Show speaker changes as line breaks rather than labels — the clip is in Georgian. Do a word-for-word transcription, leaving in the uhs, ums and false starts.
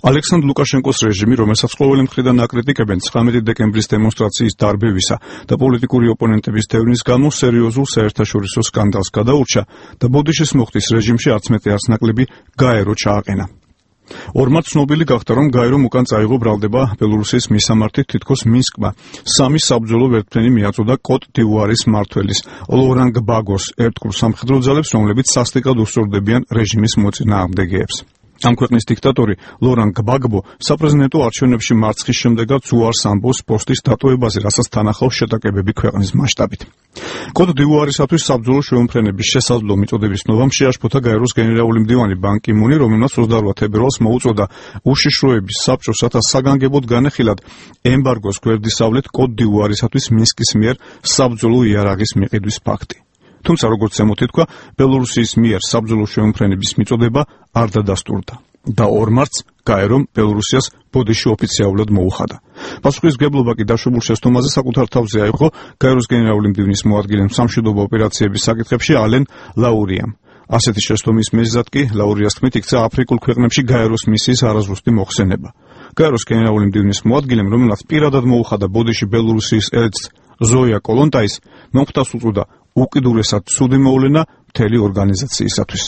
ალექსანდრ ლუკაშენკოს რეჟიმი, რომელსაც ყოველი მხრიდან აკრიტიკებენ ცხრამეტი დეკემბრის დემონსტრაციის დარბევისა და პოლიტიკური ოპონენტების დევნის გამო სერიოზულ საერთაშორისო სკანდალს გადაურჩა და ბოდიშის მოხდის რეჟიმში არც მეტი არც ნაკლები გაერო ჩააყენა. ორმაც ცნობილი გახდა, რომ გაერომ უკან წაიღო ბრალდება ბელორუსიის მისამართით თითქოს მინსკმა სამი საბრძოლო ვერტმფრენი მიაწოდა კოტ დივუარის მმართველის ლორან გბაგოს ერთგულ სამხედრო ძალებს, რომლებიც სასტიკად უსწორდებიან რეჟიმის მოწინააღმდეგეებს. ამ ქვეყნის დიქტატორი ლორან გბაგბო საპრეზიდენტო არჩევნებში მარცხის შემდეგაც უარს ამბობს პოსტის დატოვებაზე, რასაც თან ახლავს შეტაკებები ქვეყნის მასშტაბით. კოტ დივუარისათვის საბრძოლო შეუმფრენების შესაძლო მიწოდების ნოვამ შეაშფოთა გაეროს გენერალური მდივანი ბან კი მუნი, რომელმაც ოცდაორ თებერვალს მოუწოდა უშიშროების საბჭოს, რათა საგანგებოდ განეხილათ ემბარგოს გვერდისავლეთ კოტ დივუარისათვის მინსკის მიერ საბრძოლო იარაღის მიყიდვის ფაქტი. თუმცა, როგორც ზემოთ ითქვა, ბელორუსიის მიერ საბრძოლო შეუმფრენების მიწოდება არ დადასტურდა და ორ მარტს გაერომ ბელორუსიას ბოდიში ოფიციალურად მოუხადა. პასუხისმგებლობა კი დაშვებულ შეცდომაზე საკუთარ თავზე აიღო გაეროს გენერალური მდივნის მოადგილემ სამშვიდობო ოპერაციების საკითხებში ალენ ლაურიამ. ასეთი შეცდომის მიზეზად კი ლაურიას თქმით იქცა აფრიკულ ქვეყნებში გაეროს მისიის არაზუსტი მოხსენება. გაეროს გენერალური მდივნის მოადგილემ, რომელმაც პირადად მოუხადა ბოდიში ბელორუსიის ელჩს ზოია კოლონტაის, მომხდარს უწოდა უკიდურესად ცუდი მოვლენა მთელი ორგანიზაციისათვის.